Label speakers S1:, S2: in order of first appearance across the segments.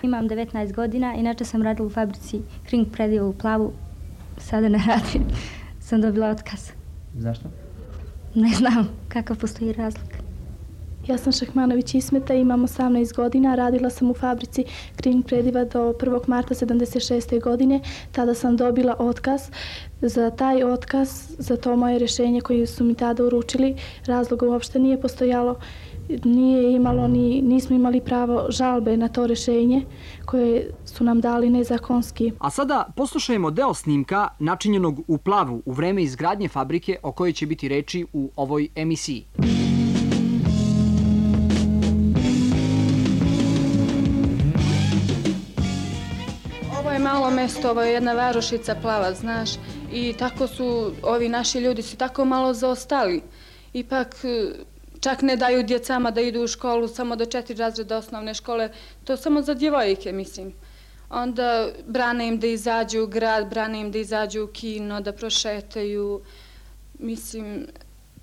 S1: Imam 19 godina, inače sam radila u fabrici Kring Prediva u Plavu. Sada ne radim, sam dobila otkaz.
S2: Zašto?
S1: Ne znam kakav postoji razlog.
S3: Ja sam Šahmanović Ismeta, imam 18 godina, radila sam u fabrici Kring Prediva do 1. marta 76. godine. Tada sam dobila otkaz. Za taj otkaz, za to moje rješenje koje su mi tada uručili, razloga uopšte nije postojalo. Nismo imali pravo žalbe na to rješenje koje su nam dali nezakonski.
S2: A sada poslušajmo deo snimka načinjenog u Plavu u vreme izgradnje fabrike o kojoj će biti reči u ovoj emisiji.
S4: Ovo je malo mesto, ovo je jedna varošica Plava, znaš, i tako su ovi naši ljudi su tako malo zaostali. Ipak čak ne daju djecama da idu u školu samo do 4 razreda osnovne škole, to samo za djevojke, mislim. Onda brane im da izađu u grad, brane im da izađu u kino, da prošetaju. Mislim,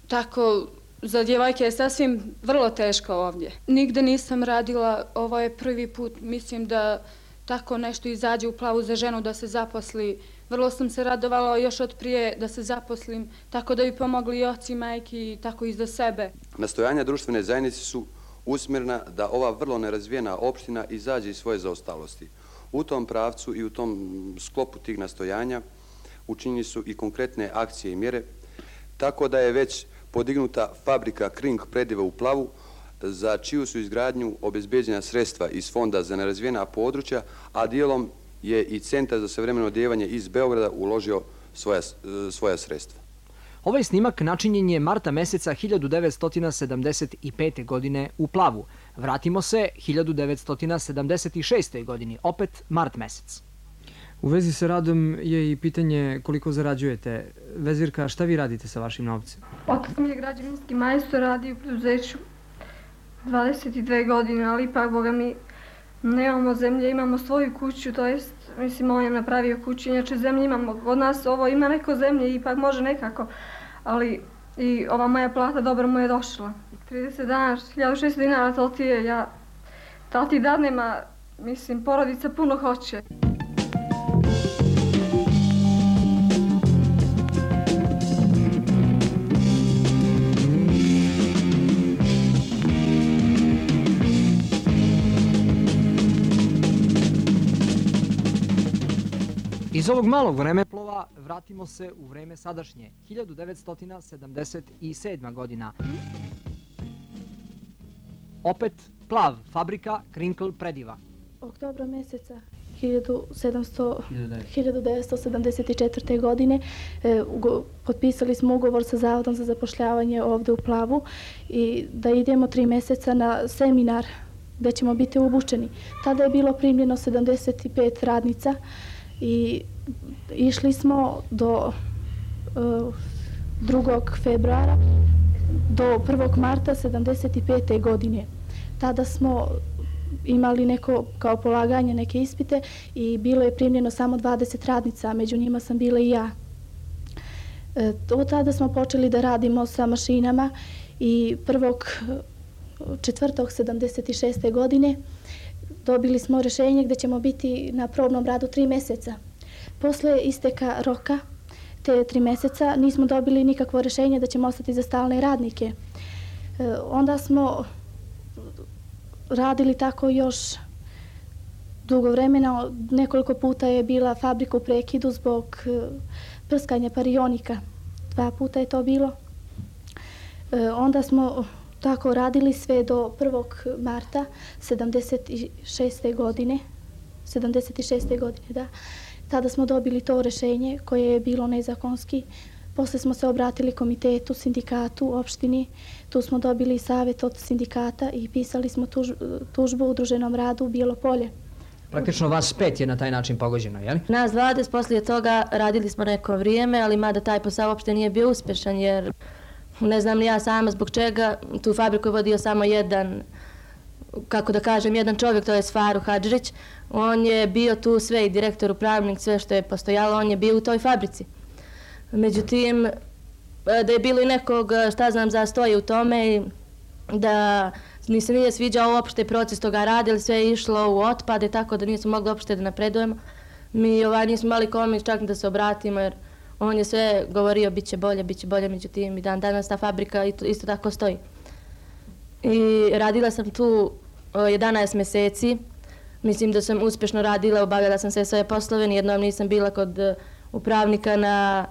S4: tako za djevojke je sasvim vrlo teško ovdje. Nigde nisam radila, ovo je prvi put, mislim da tako nešto izađe u Plavu za ženu da se zaposli. Vrlo sam se radovala još od prije da se zaposlim, tako da bi pomogli i oci, majki, tako i za sebe.
S5: Nastojanja društvene zajednice su usmjerena da ova vrlo nerazvijena opština izađe iz svoje zaostalosti. U tom pravcu i u tom sklopu tih nastojanja učinjeni su i konkretne akcije i mjere, tako da je već podignuta fabrika Kring Prediva u Plavu, za čiju su izgradnju obezbeđena sredstva iz Fonda za nerazvijena područja, a dijelom je i Centar za savremeno odijevanje iz Beograda uložio svoja sredstva.
S2: Ovaj snimak načinjen je marta meseca 1975. godine u Plavu. Vratimo se 1976. godini, opet mart mesec.
S6: U vezi sa radom je i pitanje koliko zarađujete. Vezirka, šta vi radite sa vašim novcem?
S7: Otac mi je građevinski majstor, radi u preduzeću 22 godine, ali ipak, boga mi, nemamo zemlje, imamo svoju kuću, to jest, mislim, on je napravio kuću, inače zemlje imamo, od nas ovo ima neko zemlje, ipak može nekako, ali i ova moja plata dobro mu je došla. 30 dana, 1600 dinara, to ti je, to ti dadnem, a mislim, porodica puno hoće.
S2: Iz ovog malog vremeplova vratimo se u vreme sadašnje, 1977. godina. Opet Plav, fabrika Kring Prediva.
S3: Oktobra mjeseca 1974. godine potpisali smo ugovor sa Zavodom za zapošljavanje ovdje u Plavu i da idemo 3 mjeseca na seminar gdje ćemo biti obučeni. Tada je bilo primljeno 75 radnica i išli smo do 2. februara do 1. marta 75. godine. Tada smo imali neko kao polaganje neke ispite i bilo je primljeno samo 20 radnica, među njima sam bila i ja. Od tada smo počeli da radimo sa mašinama i 1.4.76. godine dobili smo rješenje gdje ćemo biti na probnom radu 3 mjeseca. Posle isteka roka te 3 mjeseca nismo dobili nikakvo rješenje da ćemo ostati za stalne radnike. Onda smo radili tako još dugo vremena. Nekoliko puta je bila fabrika u prekidu zbog prskanja parionika. 2 puta je to bilo. Onda smo tako radili sve do 1. marta 76. godine. 76. godine, da. Tada smo dobili to rješenje koje je bilo nezakonski. Posle smo se obratili komitetu, sindikatu, opštini. Tu smo dobili savjet od sindikata i pisali smo tužbu u udruženom radu u Bijelo Polje.
S2: Praktično vas 5 je na taj način pogođeno, je li?
S8: Nas 20 poslije toga radili smo neko vrijeme, ali mada taj posao uopšte nije bio uspješan, jer ne znam ni ja sama zbog čega. Tu fabriku je vodio samo jedan, kako da kažem, jedan čovjek, to je Faru Hadžrić. On je bio tu sve i direktor, upravnik, sve što je postojalo, on je bio u toj fabrici. Međutim, da je bilo i nekog, šta znam, zastoje u tome, da ni se nije sviđao uopšte proces toga rada, sve je išlo u otpade, tako da nismo mogli uopšte da napredujemo. Mi nismo imali kome čak da se obratimo, jer on je sve govorio bit će bolje, međutim i dan danas ta fabrika isto tako stoji. I radila sam tu 11 meseci, mislim da sam uspješno radila, obavljala sam sve svoje poslove, nijednom nisam bila kod upravnika na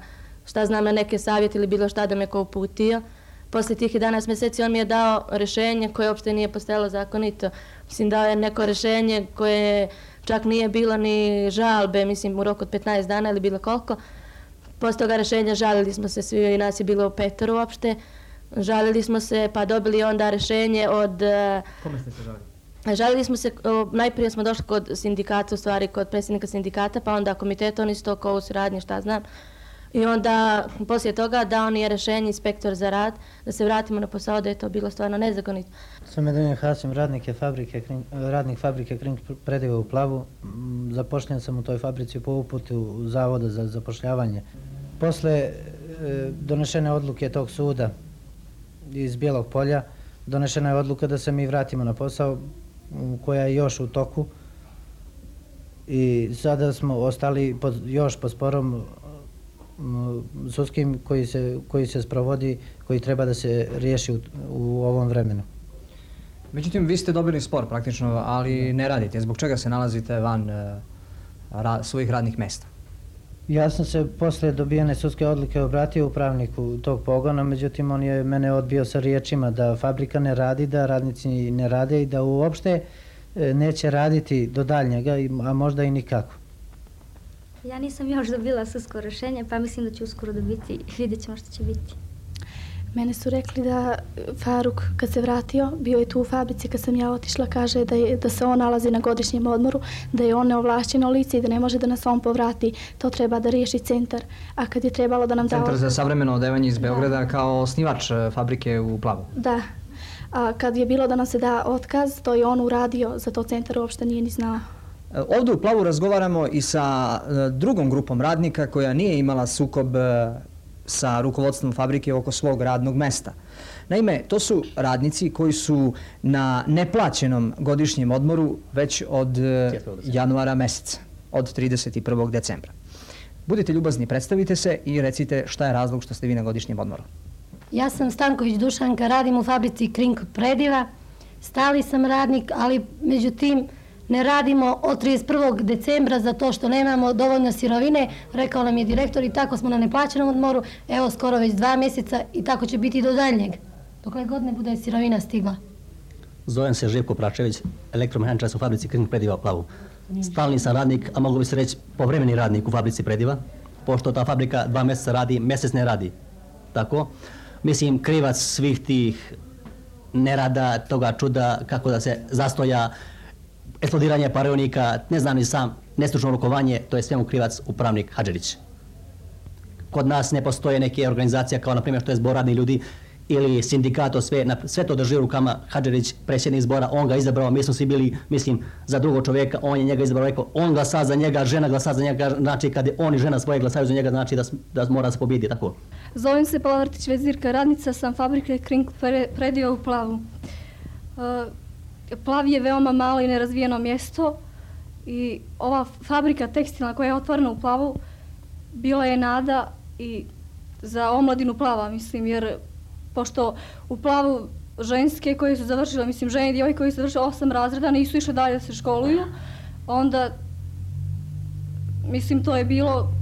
S8: neke savjete ili bilo šta da me ko uputio. Posle tih 11 meseci on mi je dao rešenje koje uopšte nije postojalo zakonito. Mislim, dao je neko rešenje koje čak nije bilo ni žalbe, mislim u roku od 15 dana ili bilo koliko. Posle toga rešenja žalili smo se svi, i nas je bilo u 5 uopšte. Žalili smo se pa dobili onda rešenje od...
S6: Kome ste se žalili?
S8: Žalili smo se, najprije smo došli kod sindikata, u stvari kod predsjednika sindikata, pa onda komiteta, oni su to kao u suradnji, šta znam. I onda, poslije toga, dao ni je rešenje inspektor za rad, da se vratimo na posao, da je to bilo stvarno nezakonito.
S9: Sam Medunja Hasim, radnik fabrike Kring Prediva u Plavu. Zapošljen sam u toj fabrici po uputu Zavoda za zapošljavanje. Posle donešene odluke tog suda iz Bijelog Polja, donešena je odluka da se mi vratimo na posao, koja je još u toku. I sada smo ostali još pod sporom sudskim koji se sprovodi, koji treba da se riješi u ovom vremenu.
S2: Međutim, vi ste dobili spor praktično, ali ne radite. Zbog čega se nalazite van svojih radnih mesta?
S9: Ja sam se posle dobijene sudske odluke obratio upravniku tog pogona, međutim on je mene odbio sa riječima da fabrika ne radi, da radnici ne rade i da uopšte neće raditi do daljnjega, a možda i nikako.
S1: Ja nisam još dobila sudsko rešenje, pa mislim da ću uskoro dobiti, vidjet ćemo što će biti.
S3: Mene su rekli da Faruk, kad se vratio, bio je tu u fabrici, kad sam ja otišla, kaže da se on nalazi na godišnjem odmoru, da je on neovlašćeno lice i da ne može da nas on povrati. To treba da riješi centar. A kad je trebalo da nam da...
S2: Centar za savremeno odevanje iz Beograda kao osnivač fabrike u Plavu.
S3: Da. A kad je bilo da nam se da otkaz, to je on uradio, za to centar uopšte nije ni znao.
S2: Ovdje u Plavu razgovaramo i sa drugom grupom radnika koja nije imala sukob sa rukovodstvom fabrike oko svog radnog mesta. Naime, to su radnici koji su na neplaćenom godišnjem odmoru već od januara meseca, od 31. decembra. Budite ljubazni, predstavite se i recite šta je razlog što ste vi na godišnjem odmoru.
S10: Ja sam Stanković Dušanka, radim u fabrici Kring Prediva. Stali sam radnik, ali međutim ne radimo od 31. decembra zato što nemamo dovoljno sirovine, rekao nam je direktor, i tako smo na neplaćenom odmoru, evo skoro već 2 mjeseca i tako će biti do daljnjeg, dokle god ne bude sirovina stigla.
S11: Zovem se Živko Pračević, elektromehaničar u fabrici Kring Prediva u Plavu. Stalni sam radnik, a mogu bi se reći povremeni radnik u fabrici Prediva, pošto ta fabrika 2 mjeseca radi, mjesec ne radi. Tako, mislim, krivac svih tih nerada, toga čuda, kako da se zastoja, eksplodiranje parionika, ne znam ni sam, nestručno rukovanje, to je svemu krivac upravnik Hadžerić. Kod nas ne postoje neke organizacije kao na primjer što je zbor radnih ljudi ili sindikato, sve to drži u rukama Hadžerić, predsjednik zbora, on ga izabrao, mi smo svi bili, mislim, za drugog čovjeka, on je njega izabrao, rekao, on glasa za njega, žena glasa za njega, znači kad on i žena svoje glasaju za njega, znači da mora se pobijedi, tako.
S7: Zovem se Palavrtić Vezirka, radnica sam fabrike Kring Prediva u Plavu. Plav je veoma malo i nerazvijeno mjesto i ova fabrika tekstilna koja je otvorena u Plavu bila je nada i za omladinu Plava, mislim, jer pošto u Plavu ženske koje su završile, mislim, žene i djevojke koji su završile 8 razreda nisu išle dalje da se školuju, onda, mislim, to je bilo,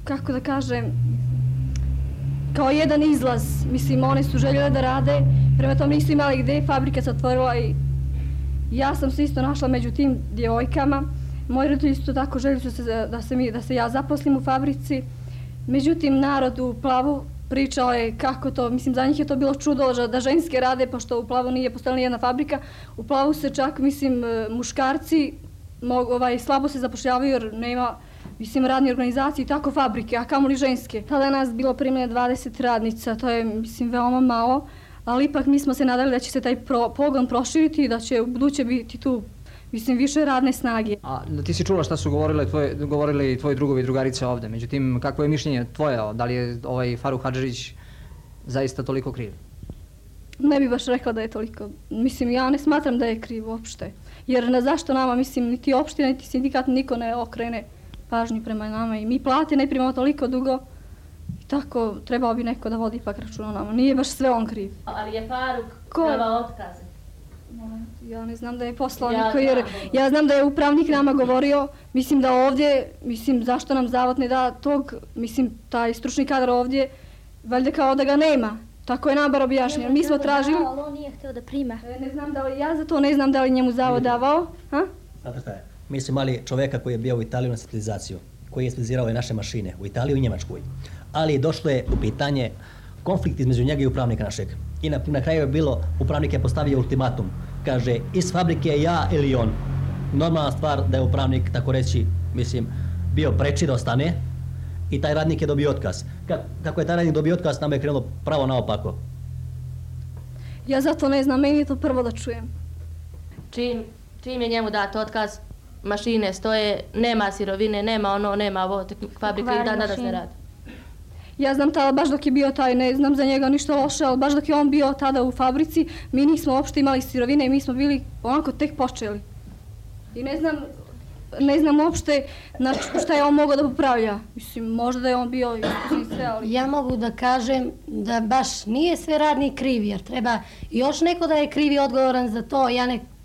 S7: kako da kažem, kao jedan izlaz, mislim, one su željele da rade, prema tom nisu imali gde, fabrika se otvorila i ja sam se isto našla među tim djevojkama. Moji roditelji isto tako željeli su da se ja zaposlim u fabrici. Međutim, narod u Plavu pričao je kako to, mislim, za njih je to bilo čudo da ženske rade, pošto u Plavu nije postojala ni jedna fabrika. U Plavu se čak, mislim, muškarci slabo se zapošljavaju jer nema, mislim, radne organizacije i tako fabrike, a kamoli ženske. Tada je nas bilo primljeno 20 radnica, to je, mislim, veoma malo. Ali ipak mi smo se nadali da će se taj pogon proširiti i da će u buduće biti tu, mislim, više radne snage.
S2: A ti si čula šta su govorili tvoji drugovi i drugarice ovde, međutim, kakvo je mišljenje tvoje, da li je ovaj Faruk Hadžerić zaista toliko kriv?
S7: Ne bi baš rekla da je toliko. Mislim, ja ne smatram da je kriv uopšte. Jer zašto nama, mislim, niti opština, niti sindikat, niko ne okrene pažnju prema nama i mi plate ne primamo toliko dugo. I tako trebao bi neko da vodi ipak računa o nama. Nije baš sve on kriv.
S8: Ali je Faruk davao otkaze?
S7: Ja ne znam da je poslao niko, jer ja znam da je upravnik nama govorio, mislim da ovdje, mislim zašto nam zavod ne da tog, mislim taj stručni kadar ovdje, valjda kao da ga nema. Tako je nam bar objašnjeno. Mi smo tražili...
S1: Ali on nije htio da prima.
S7: Ne znam da li, ja za to ne znam da li njemu zavod davao.
S11: Znate šta je? Mi smo imali čoveka koji je bio u Italiju na specijalizaciju, koji je specijalizirao naše mašine u Italiji i u Njemačkoj. Ali došlo je u pitanje konflikt između njega i upravnika našeg. I na kraju je bilo, upravnik je postavio ultimatum. Kaže, iz fabrike ja ili on. Normalna stvar da je upravnik, tako reći, mislim, bio preči da ostane i taj radnik je dobio otkaz. Kako je taj radnik dobio otkaz, nama je krenulo pravo naopako.
S7: Ja zato ne znam, meni je to prvo da čujem.
S8: Čim je njemu dat otkaz, mašine stoje, nema sirovine, nema ono, nema ovo, fabrika i dan danas ne radi.
S7: Ja znam tada, baš dok je bio taj, ne znam za njega ništa loše, ali baš dok je on bio tada u fabrici, mi nismo uopšte imali sirovine i mi smo bili onako tek počeli. I ne znam uopšte šta je on mogao da popravlja. Mislim, možda da je on bio iz sve, ali...
S10: Ja mogu da kažem da baš nije sve radnik kriv, jer treba još neko da je kriv i odgovoran za to.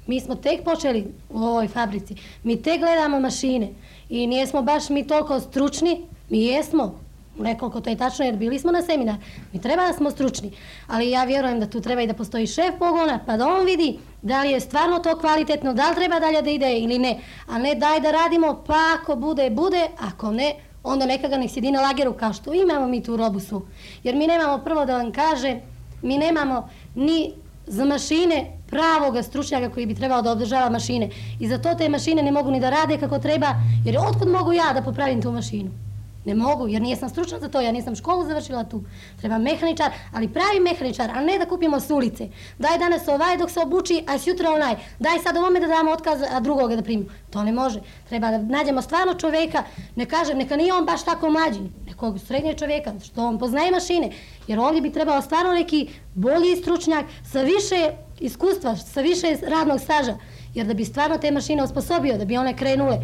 S10: Mi smo tek počeli u ovoj fabrici, mi tek gledamo mašine i nijesmo baš mi toliko stručni, mi jesmo. Nekoliko, to je tačno jer bili smo na seminar. Mi treba da smo stručni, ali ja vjerujem da tu treba i da postoji šef pogona pa da on vidi da li je stvarno to kvalitetno, da li treba dalje da ide ili ne. A ne daj da radimo pa ako bude, ako ne, onda neka ga nek sjedi na lageru kao što imamo mi tu robu svu. Jer mi nemamo, prvo da vam kažem, mi nemamo ni za mašine pravoga stručnjaka koji bi trebao da održava mašine. I za to te mašine ne mogu ni da rade kako treba, jer otkud mogu ja da popravim tu mašinu? Ne mogu, jer nisam stručna za to, ja nisam školu završila tu. Treba mehaničar, ali pravi mehaničar, a ne da kupimo s ulice. Daj danas ovaj dok se obuči, a sutra onaj. Daj sad ovome da damo otkaz, a drugoga da primimo. To ne može. Treba da nađemo stvarno čoveka, ne kažem, neka nije on baš tako mlađi, nekog srednjeg čoveka, što on poznaje mašine. Jer ovdje bi trebao stvarno neki bolji stručnjak sa više iskustva, sa više radnog staža. Jer da bi stvarno te mašine osposobio, da bi one krenule.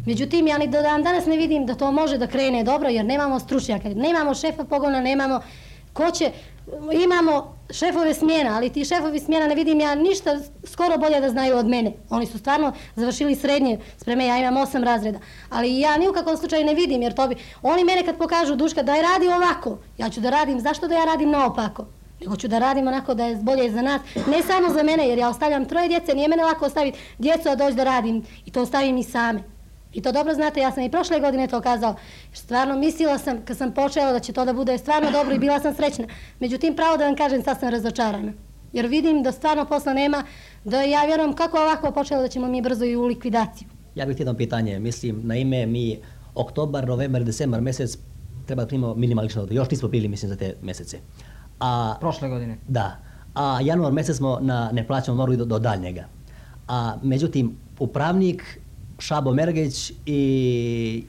S10: Međutim, ja ni do dan danas ne vidim da to može da krene dobro, jer nemamo stručnjaka, nemamo šefa pogona, nemamo ko će, imamo šefove smjena, ali ti šefovi smjena ne vidim ja ništa skoro bolje da znaju od mene. Oni su stvarno završili srednje spreme, ja imam 8 razreda, ali ja ni u kakvom slučaju ne vidim, jer to bi, oni mene kad pokažu Duška daj radi ovako, ja ću da radim, zašto da ja radim naopako? Nego ću da radim onako da je bolje za nas, ne samo za mene, jer ja ostavljam 3 djece, nije mene lako ostaviti djecu a doći da radim i to ostavim i same. I to dobro znate, ja sam i prošle godine to kazao. Stvarno mislila sam kad sam počela da će to da bude stvarno dobro i bila sam srećna. Međutim, pravo da vam kažem, sad sam razočarana. Jer vidim da stvarno posla nema, da ja vjerujem kako ovako počelo da ćemo mi brzo i u likvidaciju.
S11: Ja bih jedno pitanje, mislim, na ime mi oktobar, novembar, decembar mjesec treba da primimo minimalično dohodak. Još nismo bili, mislim, za te mjesece.
S2: Prošle godine?
S11: Da. A januar mjesec smo na neplaćenom odmoru do daljnjega. A međutim, upravnik Šabo Mergeć i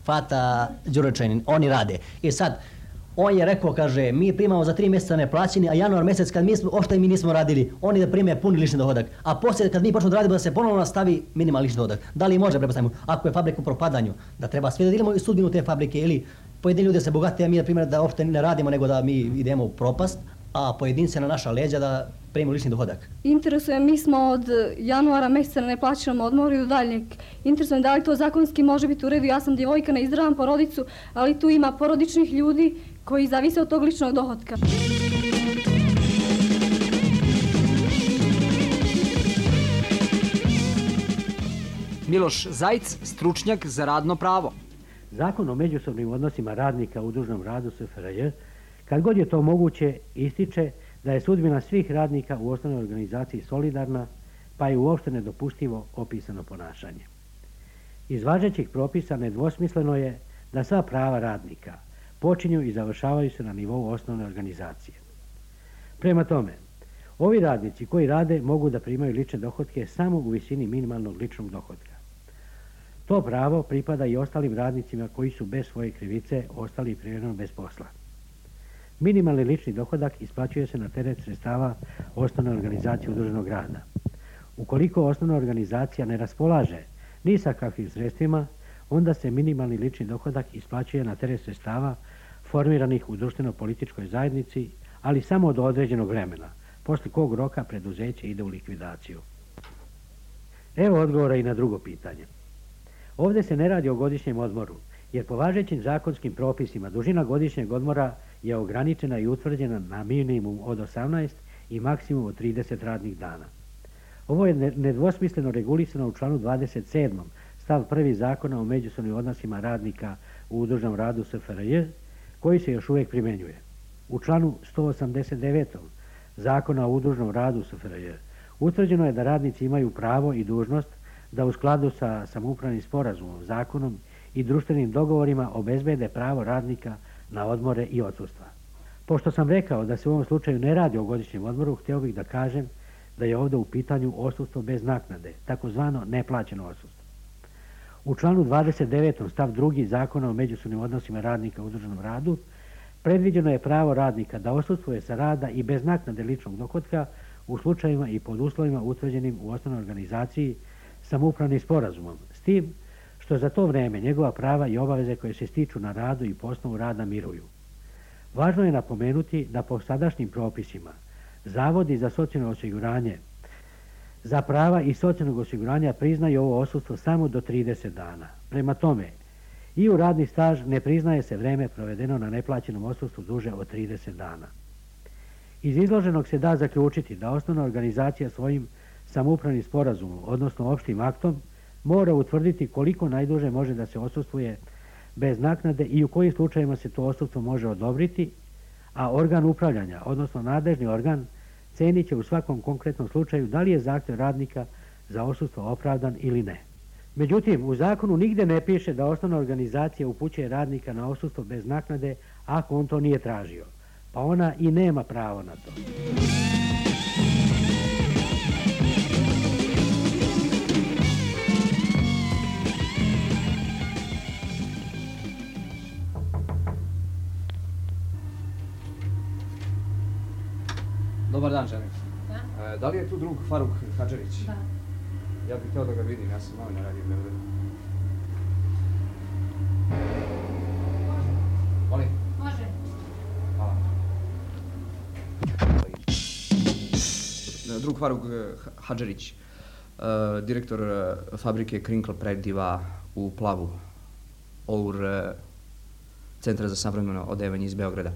S11: Fata Đurečanin, oni rade. I sad, on je rekao, kaže, mi primamo za 3 mjeseca neplaćeni, a januar mjesec kad mi nismo radili, oni da prime puni lični dohodak. A poslije kad mi počnemo da radimo da se ponovno nastavi minimalni lični dohodak. Da li može prepostavimo, ako je fabrika u propadanju, da treba sve da delimo i sudbinu te fabrike ili pojedini ljudi se bogate, a mi na primjer da uopšte ne radimo nego da mi idemo u propast, a pojedince na naša leđa da primimo lični dohodak.
S7: Interesuje, mi smo od januara mjeseca na neplaćenom odmoru i do daljnjeg. Interesuje da li to zakonski može biti u redu. Ja sam djevojka, ne izdravam porodicu, ali tu ima porodičnih ljudi koji zavise od tog ličnog dohotka.
S2: Miloš Zajc, stručnjak za radno pravo.
S12: Zakon o međusobnim odnosima radnika u dužnom radu SFRJ, kad god je to moguće, ističe da je sudbina svih radnika u osnovnoj organizaciji solidarna, pa je uopšte nedopustivo opisano ponašanje. Iz važećih propisa nedvosmisleno je da sva prava radnika počinju i završavaju se na nivou osnovne organizacije. Prema tome, ovi radnici koji rade mogu da primaju lične dohotke samo u visini minimalnog ličnog dohotka. To pravo pripada i ostalim radnicima koji su bez svoje krivice ostali privremeno bez posla. Minimalni lični dohodak isplaćuje se na teret sredstava osnovne organizacije udruženog rada. Ukoliko osnovna organizacija ne raspolaže ni sa kakvim sredstvima, onda se minimalni lični dohodak isplaćuje na teret sredstava formiranih u društveno-političkoj zajednici, ali samo do određenog vremena, posle kog roka preduzeće ide u likvidaciju. Evo odgovora i na drugo pitanje. Ovdje se ne radi o godišnjem odmoru, jer po važećim zakonskim propisima dužina godišnjeg odmora je ograničena i utvrđena na minimum od 18 i maksimum od 30 radnih dana. Ovo je nedvosmisleno regulisano u članu 27. stav 1. Zakona o međusobnim odnosima radnika u udruženom radu SFRJ, koji se još uvijek primjenjuje. U članu 189. Zakona o udruženom radu SFRJ utvrđeno je da radnici imaju pravo i dužnost da u skladu sa samoupravnim sporazumom, zakonom i društvenim dogovorima obezbede pravo radnika na odmore i odsustva. Pošto sam rekao da se u ovom slučaju ne radi o godišnjem odmoru, htio bih da kažem da je ovdje u pitanju odsustvo bez naknade, takozvano neplaćeno odsustvo. U članu 29. stav 2. Zakona o međusobnim odnosima radnika u udruženom radu predviđeno je pravo radnika da odsustvuje sa rada i bez naknade ličnog dohotka u slučajevima i pod uslovima utvrđenim u osnovnoj organizaciji samoupravnim sporazumom, s tim što za to vreme njegova prava i obaveze koje se stiču na radu i po osnovu rada miruju. Važno je napomenuti da po sadašnjim propisima zavodi za socijalno osiguranje za prava i socijalnog osiguranja priznaju ovo odsustvo samo do 30 dana. Prema tome, i u radni staž ne priznaje se vreme provedeno na neplaćenom odsustvu duže od 30 dana. Iz izloženog se da zaključiti da osnovna organizacija svojim samoupravnim sporazumom, odnosno opštim aktom, mora utvrditi koliko najduže može da se odsustvuje bez naknade i u kojim slučajima se to odsustvo može odobriti, a organ upravljanja, odnosno nadležni organ, cenit će u svakom konkretnom slučaju da li je zahtjev radnika za odsustvo opravdan ili ne. Međutim, u zakonu nigde ne piše da osnovna organizacija upućuje radnika na odsustvo bez naknade ako on to nije tražio, pa ona i nema pravo na to.
S2: Dobar dan, želim. Da li je tu drug Faruk Hadžerić?
S13: Da.
S2: Ja bih htio da ga vidim, ja sam novinar, radio u Beogradu. Molim?
S13: Može.
S2: Hvala. Drug Faruk Hadžerić, direktor fabrike Krinkl Prediva u Plavu, OUR Centra za savremeno odevanje iz Beograda.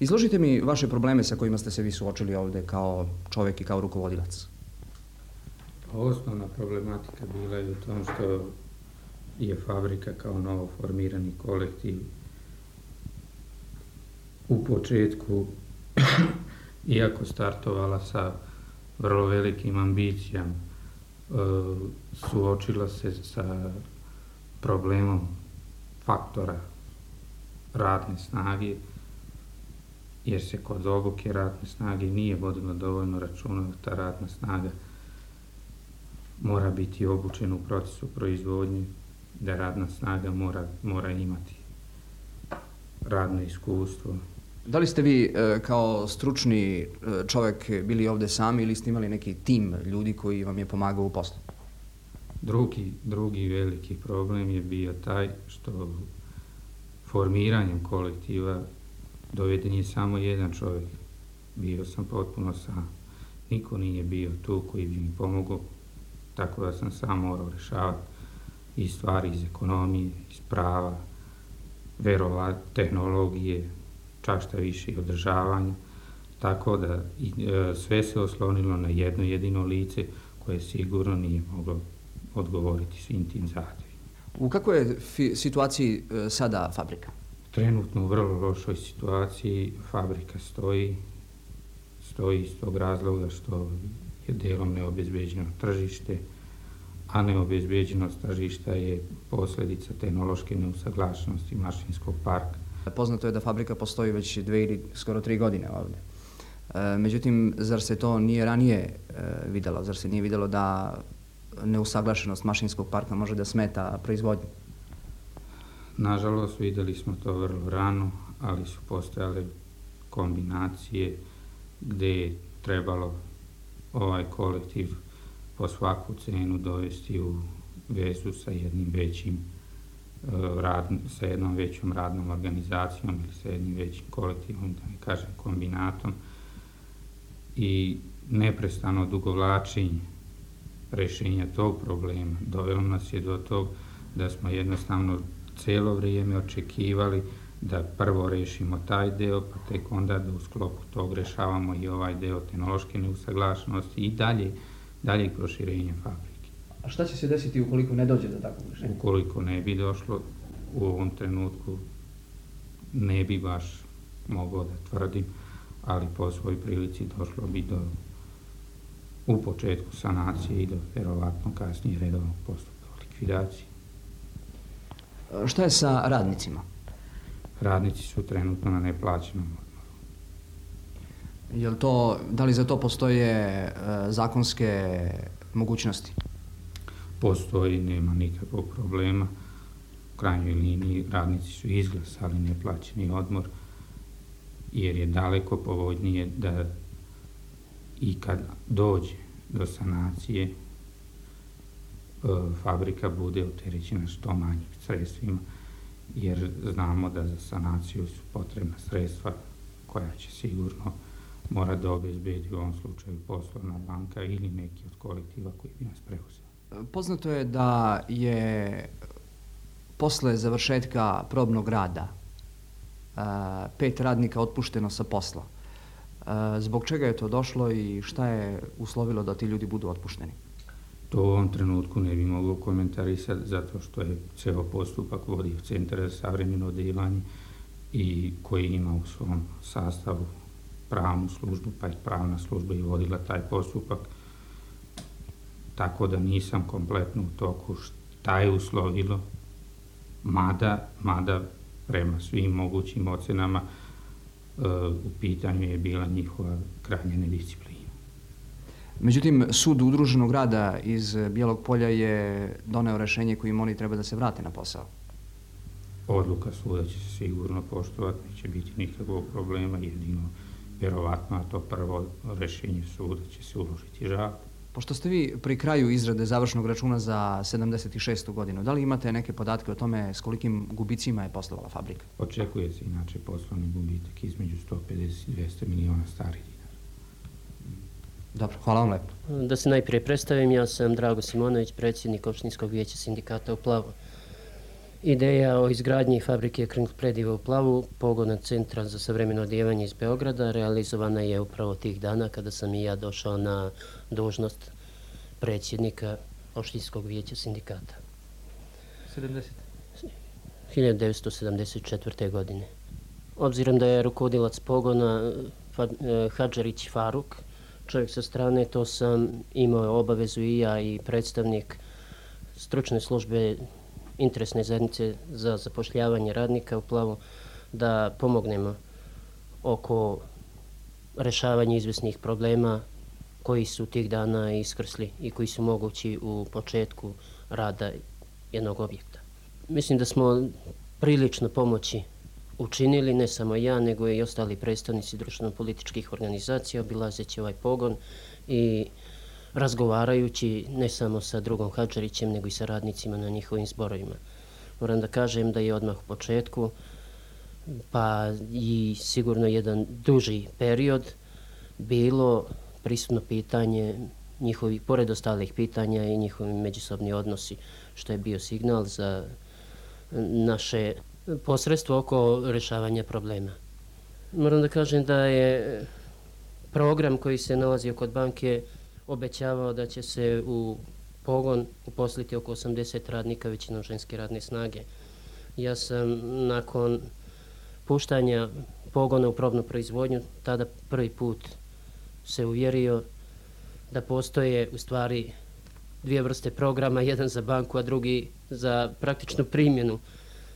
S2: Izložite mi vaše probleme sa kojima ste se vi suočili ovde kao čovjek i kao rukovodilac.
S14: Osnovna problematika bila je u tom što je fabrika kao novo formirani kolektiv u početku, iako startovala sa vrlo velikim ambicijama, suočila se sa problemom faktora radne snage, jer se kod obuke radne snage nije vodilo dovoljno računa da ta radna snaga mora biti obučena u procesu proizvodnje, da radna snaga mora imati radno iskustvo.
S2: Da li ste vi kao stručni čovjek bili ovde sami ili ste imali neki tim ljudi koji vam je pomagao u poslu?
S14: Drugi veliki problem je bio taj što formiranjem kolektiva doveden je samo jedan čovjek. Bio sam potpuno sam. Niko nije bio tu koji bi mi pomogao, tako da sam sam morao rešavati i stvari iz ekonomije, iz prava, verova, tehnologije, čak šta više i održavanja. Tako da sve se oslonilo na jedno jedino lice koje sigurno nije moglo odgovoriti svim tim zahtjevima.
S2: U kakvoj je situaciji sada fabrika?
S14: Trenutno u vrlo lošoj situaciji. Fabrika stoji iz tog razloga što je delom neobezbeđeno tržište, a neobezbeđenost tržišta je posljedica tehnološke neusaglašenosti mašinskog parka.
S2: Poznato je da fabrika postoji već 2 ili skoro 3 godine ovdje. Međutim, zar se to nije ranije vidjelo? Zar se nije vidjelo da neusaglašenost mašinskog parka može da smeta proizvodnju?
S14: Nažalost, vidjeli smo to vrlo rano, ali su postojale kombinacije gdje je trebalo ovaj kolektiv po svaku cenu dovesti u vezu sa jednim većim sa jednom većom radnom organizacijom ili sa jednim većim kolektivom, da ne kažem kombinatom, i neprestano odugovlačenje rješenja tog problema dovelo nas je do tog da smo jednostavno cijelo vrijeme očekivali da prvo rešimo taj deo, pa tek onda da u sklopu tog rešavamo i ovaj deo tehnološke neusaglašenosti i daljeg proširenja fabrike.
S2: A šta će se desiti ukoliko ne dođe do takvog rešenja?
S14: Ukoliko ne bi došlo, u ovom trenutku ne bi baš mogao da tvrdim, ali po svoj prilici došlo bi u početku sanacije i do verovatno kasnije redovnog postupka likvidacije.
S2: Šta je sa radnicima?
S14: Radnici su trenutno na neplaćenom odmoru.
S2: Da li za to postoje zakonske mogućnosti?
S14: Postoji, nema nikakvog problema. U krajnjoj liniji radnici su izglasali neplaćeni odmor, jer je daleko povoljnije da i kad dođe do sanacije fabrika bude opterećena što manjim sredstvima, jer znamo da za sanaciju su potrebna sredstva koja će sigurno mora da obezbedi u ovom slučaju poslovna banka ili neki od kolektiva koji bi nas preuzeli.
S2: Poznato je da je posle završetka probnog rada 5 radnika otpušteno sa posla. Zbog čega je to došlo i šta je uslovilo da ti ljudi budu otpušteni?
S14: To u ovom trenutku ne bi mogao komentarisati zato što je ceo postupak vodio Centar za savremeno odelanje i koji ima u svom sastavu pravnu službu, pa je pravna služba i vodila taj postupak. Tako da nisam kompletno u toku šta je uslovilo, mada prema svim mogućim ocenama u pitanju je bila njihova krajnja nedisciplina.
S2: Međutim, sud udruženog rada iz Bijelog Polja je doneo rešenje kojim oni treba da se vrate na posao.
S14: Odluka suda će se sigurno poštovati, neće biti nikakvog problema, jedino vjerovatno, a to prvo rešenje suda će se uložiti žalbu.
S2: Pošto ste vi pri kraju izrade završnog računa za 76. godinu, da li imate neke podatke o tome s kolikim gubicima je poslovala fabrika?
S14: Očekuje se inače poslovni gubitak između 150 i 200 miliona starih dinara.
S2: Dobro, hvala vam lepo.
S13: Da se najprije predstavim, ja sam Drago Simonović, predsjednik opštinskog vijeća sindikata u Plavu. Ideja o izgradnji fabrike Kring Prediva u Plavu, pogona Centra za savremeno odijevanje iz Beograda, realizovana je upravo tih dana kada sam i ja došao na dužnost predsjednika opštinskog vijeća sindikata. 1974. godine. Obzirom da je rukovodilac pogona Hadžarić Faruk, čovjek sa strane, to sam imao obavezu i ja i predstavnik stručne službe interesne zajednice za zapošljavanje radnika u Plavu da pomognemo oko rešavanja izvesnih problema koji su tih dana iskrsli i koji su mogući u početku rada jednog objekta. Mislim da smo prilično pomoći učinili, ne samo ja, nego i ostali predstavnici društveno-političkih organizacija, obilazeći ovaj pogon i razgovarajući ne samo sa drugom Hadžarićem, nego i sa radnicima na njihovim zborovima. Moram da kažem da je odmah u početku, pa i sigurno jedan duži period, bilo prisutno pitanje njihovi, pored ostalih pitanja i njihovi međusobni odnosi, što je bio signal za naše posredstvo oko rešavanja problema. Moram da kažem da je program koji se nalazio kod banke obećavao da će se u pogon uposliti oko 80 radnika, većinom ženske radne snage. Ja sam nakon puštanja pogona u probnu proizvodnju tada prvi put se uvjerio da postoje u stvari dvije vrste programa, jedan za banku, a drugi za praktičnu primjenu,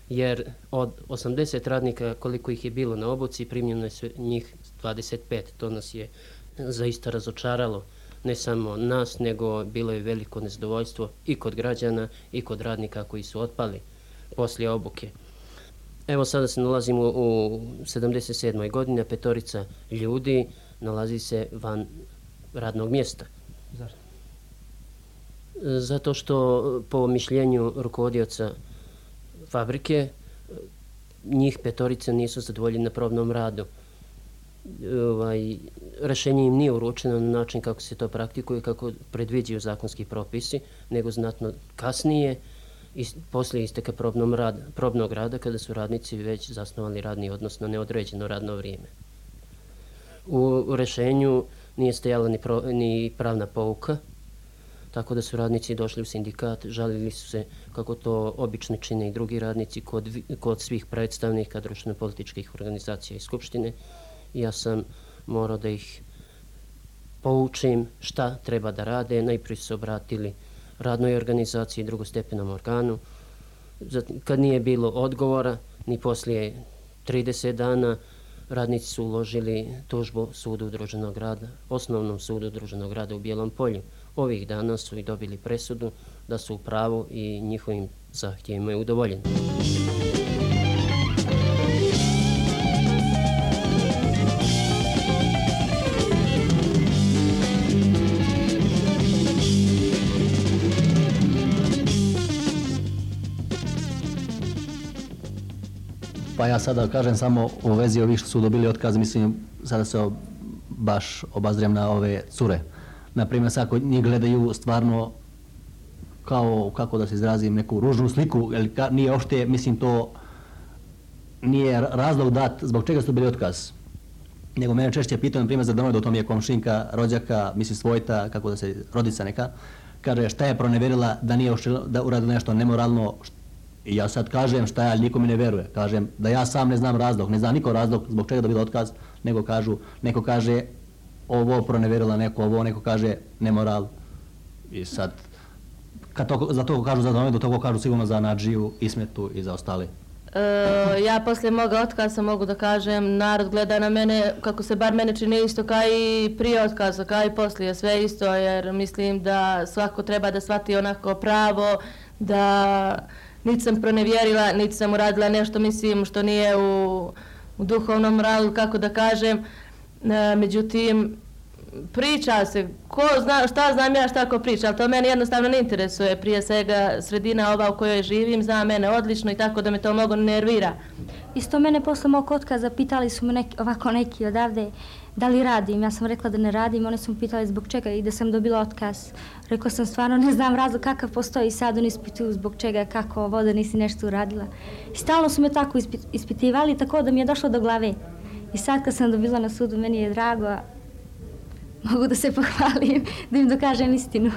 S13: jer od 80 radnika koliko ih je bilo na obuci, primljeno je njih 25. To nas je zaista razočaralo, ne samo nas, nego bilo je veliko nezadovoljstvo i kod građana i kod radnika koji su otpali poslije obuke. Evo sada se nalazimo u 77. godini, 5 ljudi nalazi se van radnog mjesta.
S6: Zašto?
S13: Zato što po mišljenju rukovodioca fabrike njih 5 nisu zadovoljeni na probnom radu. Rešenje im nije uručeno na način kako se to praktikuje, kako predviđaju zakonski propisi, nego znatno kasnije, poslije isteka probnog rada, kada su radnici već zasnovali radni odnos na neodređeno radno vrijeme. U rešenju nije stajala ni pravna pouka, tako da su radnici došli u sindikat, žalili su se, kako to obično čine i drugi radnici, kod svih predstavnika društveno-političkih organizacija i skupštine. Ja sam morao da ih poučim šta treba da rade. Najprije su se obratili radnoj organizaciji, drugostepenom organu. Kad nije bilo odgovora, ni poslije 30 dana, radnici su uložili tužbu sudu udruženog rada, osnovnom sudu udruženog rada u Bijelom Polju. Ovih dana su i dobili presudu da su u pravu i njihovim zahtjevima je udovoljeno.
S11: Pa ja sada kažem samo u vezi ovih što su dobili otkaz, mislim, sada se baš obazrijem na ove cure. Naprimjer, sad kod njih gledaju stvarno kao, kako da se izrazim, neku ružnu sliku, jer nije ošte, mislim, to nije razlog dat zbog čega su bili otkaz. Nego mene češće pitaju, naprimjer, za domoj, da to mi je komšinka, rođaka, mislim, svojta, kako da se, rodica neka, kaže šta je proneverila da nije ošte, da uradila nešto nemoralno. I ja sad kažem šta je, ali niko mi ne veruje. Kažem da ja sam ne znam razlog, ne zna niko razlog zbog čega dobila otkaz, nego kažu, neko kaže ovo proneverila, neko kaže nemoral. I sad, za to kažu za domenu, do toga kažu sigurno za Nadžiju, Ismetu i za ostali.
S8: Ja poslije moga otkaza mogu da kažem, narod gleda na mene, kako se bar mene čini isto kao i prije otkaza, kao i poslije, sve isto, jer mislim da svako treba da shvati onako pravo, da niti sam pronevjerila, niti sam uradila nešto, mislim, što nije u duhovnom moralu, kako da kažem. Međutim, priča se, ko zna, šta znam ja šta ko priča, ali to mene jednostavno ne interesuje. Prije svega sredina ova u kojoj živim zna mene odlično i tako da me to mnogo nervira.
S1: Isto mene posle mog otkaza pitali su me neki odavde da li radim. Ja sam rekla da ne radim, one su me pitali zbog čega i da sam dobila otkaz. Rekla sam stvarno ne znam razlog kakav postoji i sad oni ispituju zbog čega, kako ovo da nisi nešto uradila. I stalno su me tako ispitivali, tako da mi je došlo do glave. I sad kad sam dobila na sudu, meni je drago, mogu da se pohvalim, da im dokažem istinu.